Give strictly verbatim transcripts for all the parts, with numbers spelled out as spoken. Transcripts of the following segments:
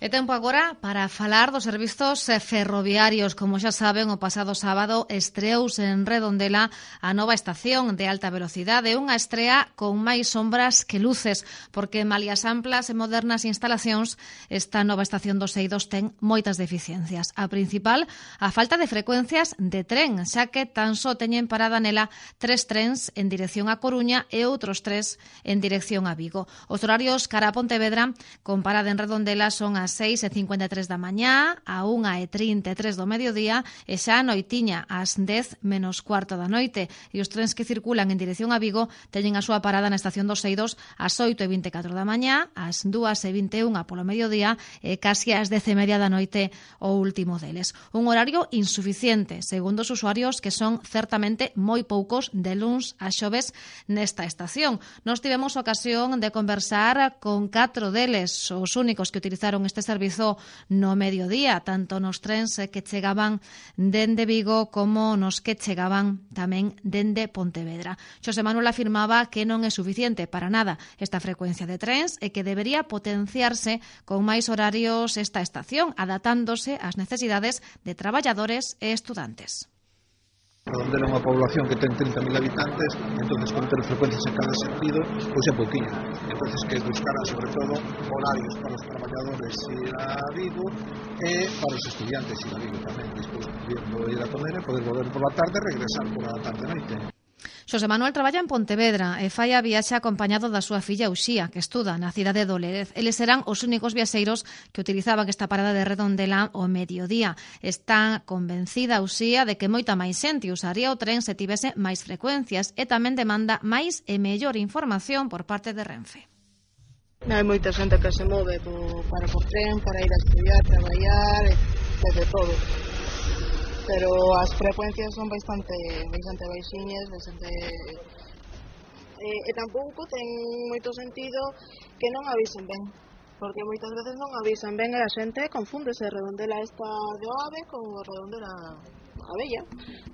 É tempo agora para falar dos servizos ferroviarios. Como xa saben, o pasado sábado estreouse en Redondela a nova estación de alta velocidade, unha estrea con máis sombras que luces, porque malia as amplas e modernas instalacións, esta nova estación dos Eidos ten moitas deficiencias. A principal, a falta de frecuencias de tren, xa que tan só teñen parada nela tres trens en dirección a Coruña e outros tres en dirección a Vigo. Os horarios cara a Pontevedra, con parada en Redondela, son as seis e cincuenta e tres da mañá, a unha e trinta e tres do mediodía e xa a noitiña ás dez menos cuarto da noite. E os trens que circulan en dirección a Vigo teñen a súa parada na estación dos Eidos ás oito e vinte e catro da mañá, ás dúas e vinte e unha polo mediodía e casi ás dez e media da noite o último deles. Un horario insuficiente, segundo os usuarios, que son certamente moi poucos de luns a xoves nesta estación. Nos tivemos ocasión de conversar con catro deles, os únicos que utilizaron este servizo no mediodía, tanto nos trens que chegaban dende Vigo como nos que chegaban tamén dende Pontevedra. Xosé Manuel afirmaba que non é suficiente para nada esta frecuencia de trens e que debería potenciarse con máis horarios esta estación, adaptándose ás necesidades de traballadores e estudantes. Redondela é unha población que ten trinta mil habitantes, entonces con ter frecuencias en cada sentido, pois é pouquinho. Entonces que buscará sobre todo horarios para os traballadores ir a Vigo e para os estudiantes ir a Vigo tamén, despois pudiendo ir a comer e poder volver por la tarde e regresar por a tarde-noite. Xosé Manuel traballa en Pontevedra e fai a viaxe acompañado da súa filla Uxía, que estuda na cidade do Lérez. Eles serán os únicos viaxeiros que utilizaban esta parada de Redondela ao mediodía. Está convencida Uxía de que moita máis xente usaría o tren se tivese máis frecuencias e tamén demanda máis e mellor información por parte de Renfe. Hai moita xente que se move para por tren, para ir a estudiar, traballar, e de todo. Pero as frecuencias son bastante bastante baixiñas, bastante e, e tampouco ten moito sentido que non avisen ben, porque moitas veces non avisan ben e a xente confúndese Redondela esta de Oave con Redondela a Bella.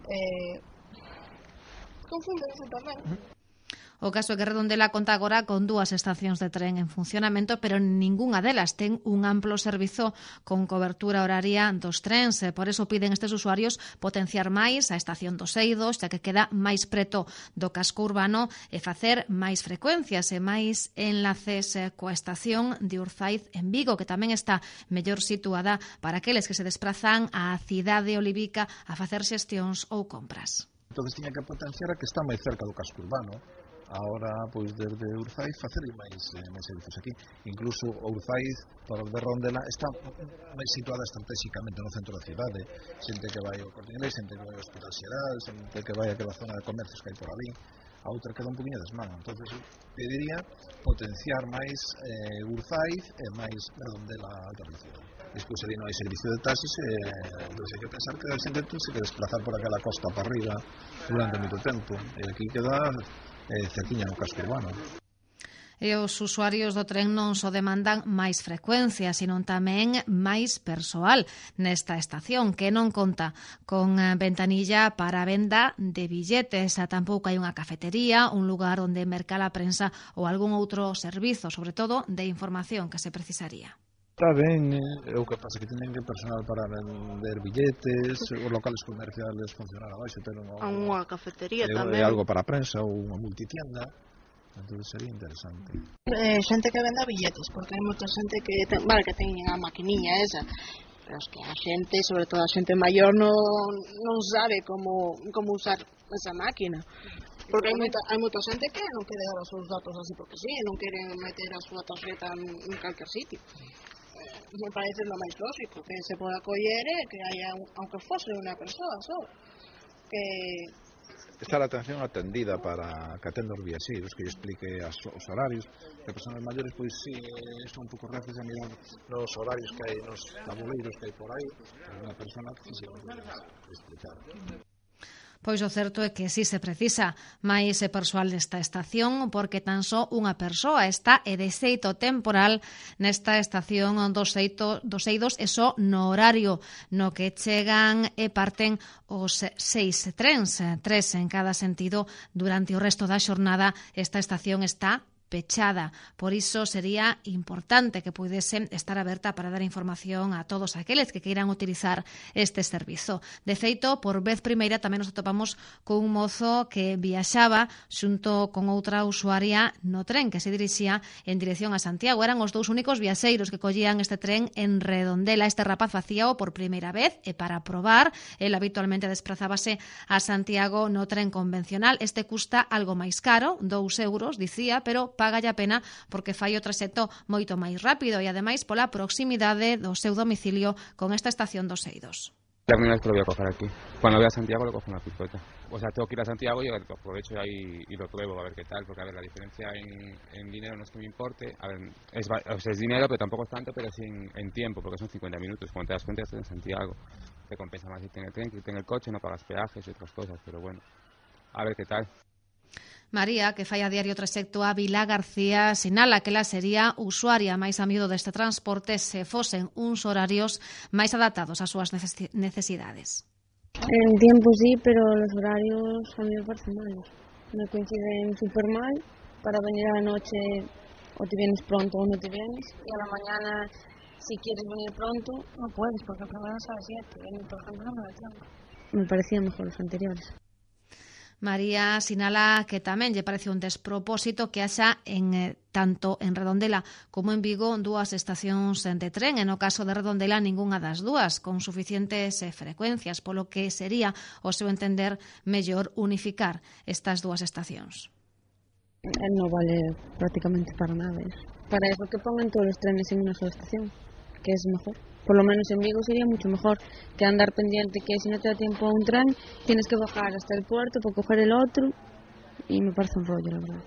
Eh, confúndense tamén. O caso é que Redondela conta agora con dúas estacións de tren en funcionamento, pero ningunha delas ten un amplo servizo con cobertura horaria dos trens. Por eso piden estes usuarios potenciar máis a estación dos Eidos, xa que queda máis preto do casco urbano, e facer máis frecuencias e máis enlaces coa estación de Urzaiz en Vigo, que tamén está mellor situada para aqueles que se desplazan á cidade olivica a facer xestións ou compras. Entón, tiña que potenciar a que está máis cerca do casco urbano. Ahora, pois, desde Urzaiz facer máis, eh, máis servizos aquí. Incluso Urzaiz, para de Redondela, está máis situada estratégicamente no centro da cidade. Xente que vai ao Corte Inglés, xente que vai ao Hospital Xeral, xente que vai àquela zona de comercios que hai por ali. A outra queda un poquinho desmano. Entonces, pediría potenciar máis eh, Urzaiz e máis Redondela alta velocidade. Despois ali non hai servicio de taxis e entón hai que pensar que a xente ten que desplazar por aquela costa para arriba durante moito tempo. E aquí queda eh, cerquiña no casco urbano. E os usuarios do tren non só demandan máis frecuencia, sino tamén máis persoal nesta estación, que non conta con ventanilla para a venda de billetes. Tampouco hai unha cafetería, un lugar onde mercar a prensa ou algún outro servizo, sobre todo de información que se precisaría. Está ben, é o que pasa que tienen que personal para vender billetes, os locales comerciales funcionar abaixo, ter unha, unha cafetería é, tamén. É algo para a prensa ou unha multitienda, entón sería interesante. Eh, xente que venda billetes, porque hai moita xente que ten, vale, que ten a maquiniña esa, pero es que a xente, sobre todo a xente maior, non, non sabe como, como usar esa máquina. Porque hai moita, hai moita xente que non quere dar os seus datos así porque sí, non quere meter a súa tarjeta en, en calquer sitio. Me parece lo máis lógico que se poda coller e que haya, aunque fose unha persoa só, que está a atención atendida para que atenda os viaxeiros, que lle explique as, os horarios. Que personas maiores, pois si, son un pouco reces a mirar nos horarios que hai, nos tabuleiros que hai por aí, unha persona que se pode explicar. Pois o certo é que si se precisa máis persoal nesta estación, porque tan só unha persoa está e de xeito temporal nesta estación dos, eito, dos Eidos e só no horario no que chegan e parten os seis trens, tres en cada sentido. Durante o resto da xornada esta estación está pechada. Por iso sería importante que puidese estar aberta para dar información a todos aqueles que queiran utilizar este servizo. De feito, por vez primeira tamén nos atopamos con un mozo que viaxaba xunto con outra usuaria no tren que se dirixía en dirección a Santiago. Eran os dous únicos viaxeiros que collían este tren en Redondela. Este rapaz facíao por primeira vez e para probar, el habitualmente desprazábase a Santiago no tren convencional. Este custa algo máis caro, dous euros, dicía, pero págalle a pena porque fai o traxecto moito máis rápido e ademais pola proximidade do seu domicilio con esta estación dos Eidos. La primera vez que lo voy a coger aquí. Cuando voy a Santiago lo cojo en la picota. O sea, tengo que ir a Santiago y aprovecho ahí y lo pruebo a ver qué tal, porque a ver, la diferencia en, en dinero no es que me importe. A ver, es, o sea, es dinero, pero tampoco es tanto, pero sí en, en tiempo, porque son cincuenta minutos. Cuando te das cuenta estás en Santiago. Te compensa más irte en el tren que irte en el coche, no pagas peajes y otras cosas, pero bueno, a ver qué tal. María, que fai a diario traxecto a Vila García, sinala que ela sería usuaria máis a miúdo deste transporte se fosen uns horarios máis adaptados ás súas necesidades. En tiempo sí, pero los horarios a mí me parecen malos. Me coinciden súper mal. Para venir a la noche o te vienes pronto o no te vienes. Y a la mañana, si quieres venir pronto, no puedes porque el programa es a las siete. Y por ejemplo, no me da tiempo. Me parecían mejor los anteriores. María sinala que tamén lle parece un despropósito que haxa en eh, tanto en Redondela como en Vigo dúas estacións de tren, e no caso de Redondela ningunha das dúas, con suficientes eh, frecuencias, polo que sería, ao seu entender, mellor unificar estas dúas estacións. No vale prácticamente para nada eso. Para eso que pongan todos los trenes en una sola estación, que es mejor. Por lo menos en Vigo sería mucho mejor que andar pendiente que si no te da tiempo a un tren tienes que bajar hasta el puerto para coger el otro, y me parece un rollo, la verdad.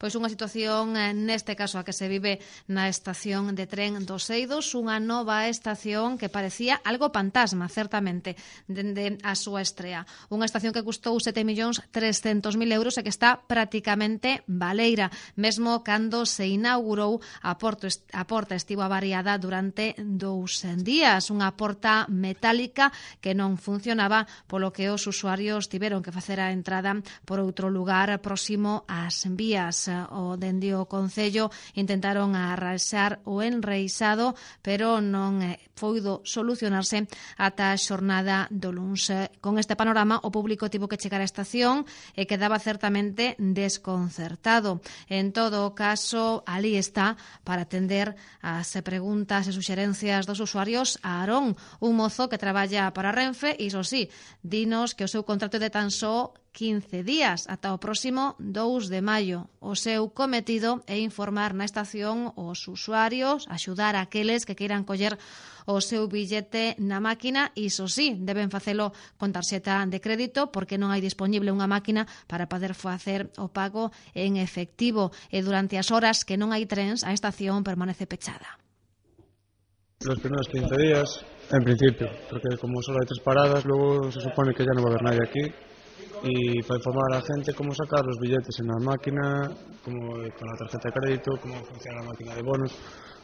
Pois unha situación, neste caso, a que se vive na estación de tren dos Eidos, unha nova estación que parecía algo fantasma, certamente, dende a súa estrea. Unha estación que custou sete millóns trescentos mil euros e que está prácticamente baleira. Mesmo cando se inaugurou, a, porto, a porta estivo avariada durante dous días. Unha porta metálica que non funcionaba, polo que os usuarios tiveron que facer a entrada por outro lugar próximo ás vías. O dende o Concello intentaron arrasar o enreixado, pero non foido solucionarse ata a xornada do luns. Con este panorama, o público tivo que chegar á estación e quedaba certamente desconcertado. En todo o caso, ali está para atender as preguntas e suxerencias dos usuarios a Aarón, un mozo que traballa para Renfe, e iso sí, dinos que o seu contrato de tan só quince días ata o próximo dous de maio. O seu cometido é informar na estación os usuarios, axudar a aqueles que queiran coller o seu billete na máquina, e iso sí, deben facelo con tarxeta de crédito porque non hai disponible unha máquina para poder facer o pago en efectivo, e durante as horas que non hai trens a estación permanece pechada. Los primeros quince días, en principio, porque como solo hay tres paradas, luego se supone que ya no va a haber nadie aquí. Y para informar a la gente cómo sacar los billetes en la máquina, cómo con la tarjeta de crédito, cómo funciona la máquina de bonos,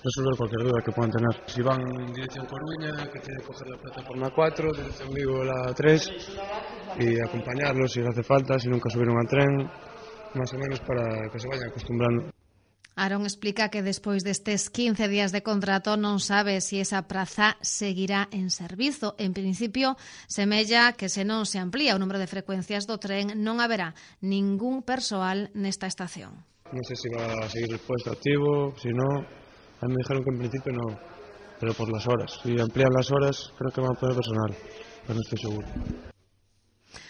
resolver cualquier duda que puedan tener. Si van en dirección Coruña, que tienen que coger la plataforma cuatro, dirección Vigo la tres, y acompañarlos si les hace falta, si nunca subieron al tren, más o menos para que se vayan acostumbrando. Aarón explica que despois destes quince días de contrato non sabe se si esa praza seguirá en servizo. En principio, semella que se non se amplía o número de frecuencias do tren non haberá ningún persoal nesta estación. No sé si va a seguir el puesto activo, si no, a mí me dijeron que en principio no, pero por las horas. Si amplían las horas, creo que van a poner personal, pero no estoy seguro.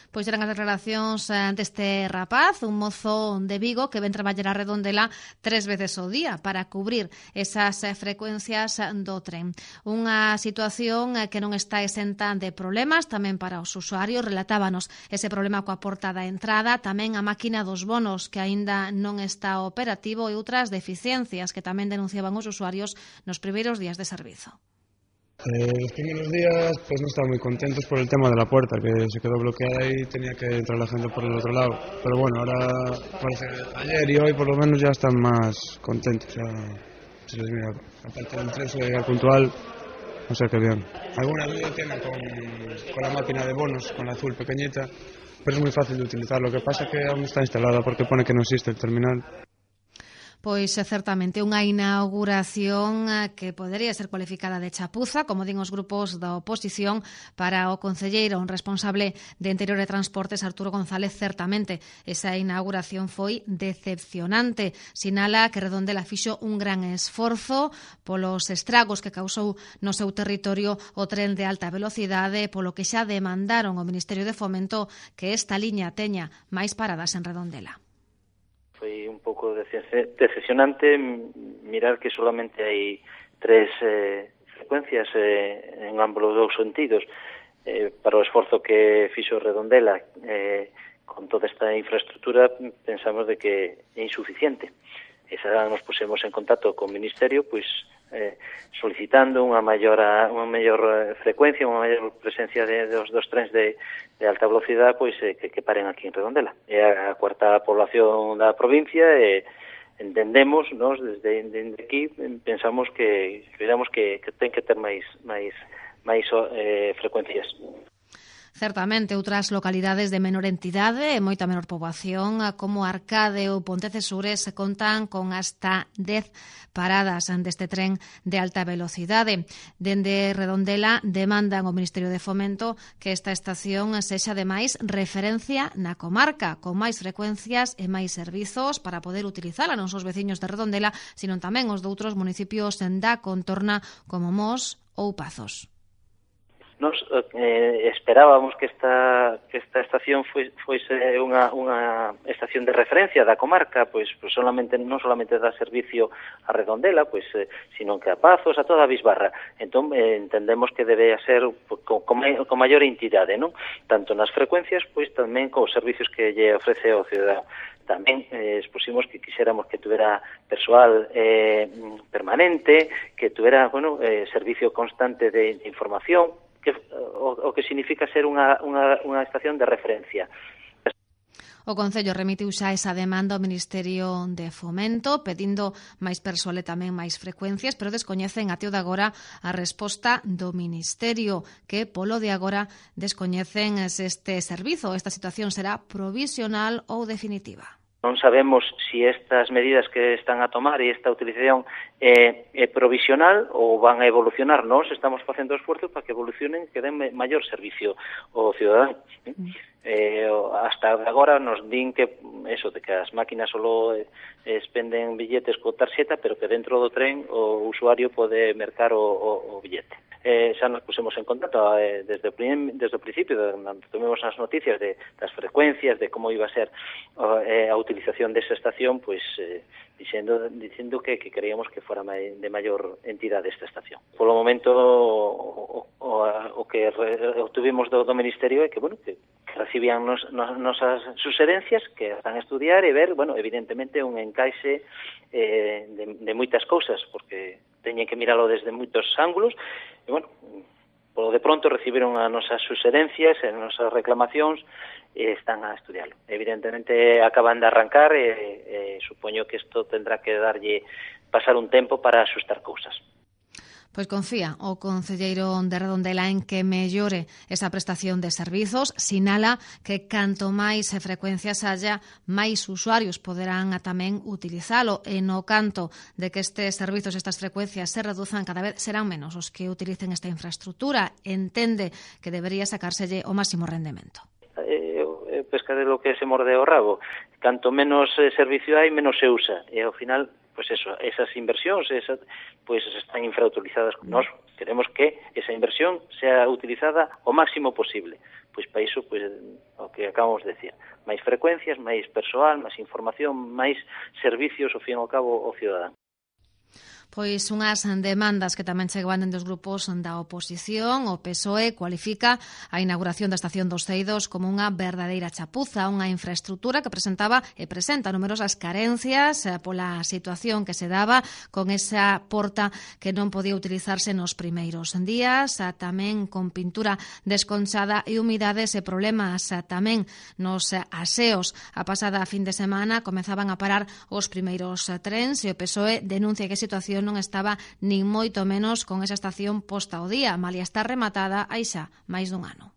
Pois eran as declaracións deste rapaz, un mozo de Vigo que ven traballar a Redondela tres veces ao día para cubrir esas frecuencias do tren. Unha situación que non está exenta de problemas tamén para os usuarios. Relatábanos ese problema coa porta da entrada, tamén a máquina dos bonos que aínda non está operativo, e outras deficiencias que tamén denunciaban os usuarios nos primeiros días de servizo. Eh, los primeros días pues no estaban muy contentos por el tema de la puerta, que se quedó bloqueada y tenía que entrar la gente por el otro lado. Pero bueno, ahora parece que ayer y hoy por lo menos ya están más contentos. O sea, se les mira, aparte del tren suele llegar puntual, o sea que bien. Alguna duda tienen con, con la máquina de bonos, con la azul pequeñita, pero es muy fácil de utilizar. Lo que pasa es que aún está instalada porque pone que no existe el terminal. Pois certamente unha inauguración que podería ser cualificada de chapuza, como din os grupos da oposición. Para o concelleiro responsable de Interior e Transportes, Arturo González, certamente esa inauguración foi decepcionante. Sinala que Redondela fixo un gran esforzo polos estragos que causou no seu territorio o tren de alta velocidade, polo que xa demandaron ao Ministerio de Fomento que esta liña teña máis paradas en Redondela. Foi un pouco decepcionante mirar que solamente hai tres eh, frecuencias eh, en ambos os dous sentidos. Eh, para o esforzo que fixo Redondela eh, con toda esta infraestructura, pensamos de que é insuficiente. Esa nos pusemos en contacto co Ministerio, pois eh, solicitando unha maior unha maior frecuencia, unha maior presencia de, dos, dos trens de, de alta velocidade, pois eh, que, que paren aquí en Redondela. É a cuarta población da provincia e entendemos, nós desde, desde aquí pensamos que creemos que, que ten que ter máis máis máis eh, frecuencias. Certamente, outras localidades de menor entidade e moita menor poboación, como Arcade ou Pontecesures, contan con hasta dez paradas deste tren de alta velocidade. Dende Redondela demandan ao Ministerio de Fomento que esta estación sexa ademais referencia na comarca, con máis frecuencias e máis servizos para poder utilizala non só os veciños de Redondela, sino tamén os de outros municipios da contorna como Mos ou Pazos. Nos eh, esperábamos que esta que esta estación foi foise unha unha estación de referencia da comarca, pois, pois solamente non solamente dá servicio a Redondela, pois eh, sino que a Pazos, a toda a Bisbarra. Entón eh, entendemos que debe ser con, con, con maior entidade, non? Tanto nas frecuencias, pois tamén cos servicios que lle ofrece ao cidadán. Tamén eh, expusimos que quixéramos que tuvera persoal eh, permanente, que tuvera, bueno, eh, servicio constante de, de información, que o, o que significa ser unha, unha, unha estación de referencia. O Concello remitiu xa esa demanda ao Ministerio de Fomento, pedindo máis persoal e tamén máis frecuencias, pero descoñecen até o de agora a resposta do Ministerio, que polo de agora descoñecen se este servizo. Esta situación será provisional ou definitiva. Non sabemos se si estas medidas que están a tomar e esta utilización é, é provisional ou van a evolucionar. Nós estamos facendo esforzo para que evolucionen, que den maior servicio ao cidadán. Mm. Eh, hasta agora nos din que eso, de que as máquinas solo expenden billetes co tarxeta, pero que dentro do tren o usuario pode mercar o, o, o billete. Eh, xa nos pusemos en contacto eh, desde, o prim, desde o principio, cando tomemos as noticias de, das frecuencias, de como iba a ser eh, a utilización desa estación, pois eh, dicindo, dicindo que, que creíamos que fora mai, de maior entidade esta estación. Polo momento o, o, o que re, obtuvimos do, do Ministerio é que, bueno, que, que recibían nos, nos, nosas sugerencias, que están a estudiar e ver, bueno, evidentemente un encaixe eh, de, de moitas cousas, porque teñen que miralo desde moitos ángulos, e, bueno, polo de pronto recibiron as nosas sugerencias e as nosas reclamacións e están a estudiarlo. Evidentemente acaban de arrancar e, e supoño que isto tendrá que darlle pasar un tempo para asustar cousas. Pois confía o concelleiro de Redondela en que mellore esa prestación de servizos. Sinala que canto máis frecuencias haya, máis usuarios poderán tamén utilizalo, e no canto de que estes servizos, estas frecuencias se reduzan, cada vez serán menos os que utilicen esta infraestructura. Entende que debería sacárselle o máximo rendemento. Eh, pesca de lo que se morde o rabo. Canto menos eh, servicio hai, menos se usa. E ao final, pues eso, esas inversións esas, pues están infrautilizadas. Nós queremos que esa inversión sea utilizada o máximo posible. Pois para iso, pues, o que acabamos de decir, máis frecuencias, máis persoal, máis información, máis servicios, ao fin e ao cabo, ao cidadán. Pois unhas demandas que tamén chegaban dos grupos da oposición. O P S O E cualifica a inauguración da estación dos Ceidos como unha verdadeira chapuza, unha infraestructura que presentaba e presenta numerosas carencias pola situación que se daba con esa porta que non podía utilizarse nos primeiros días, tamén con pintura desconchada e humidades e problemas tamén nos aseos. A pasada fin de semana comezaban a parar os primeiros trens e o P S O E denuncia que a situación non estaba nin moito menos con esa estación posta ao día, malia estar rematada hai xa máis dun ano.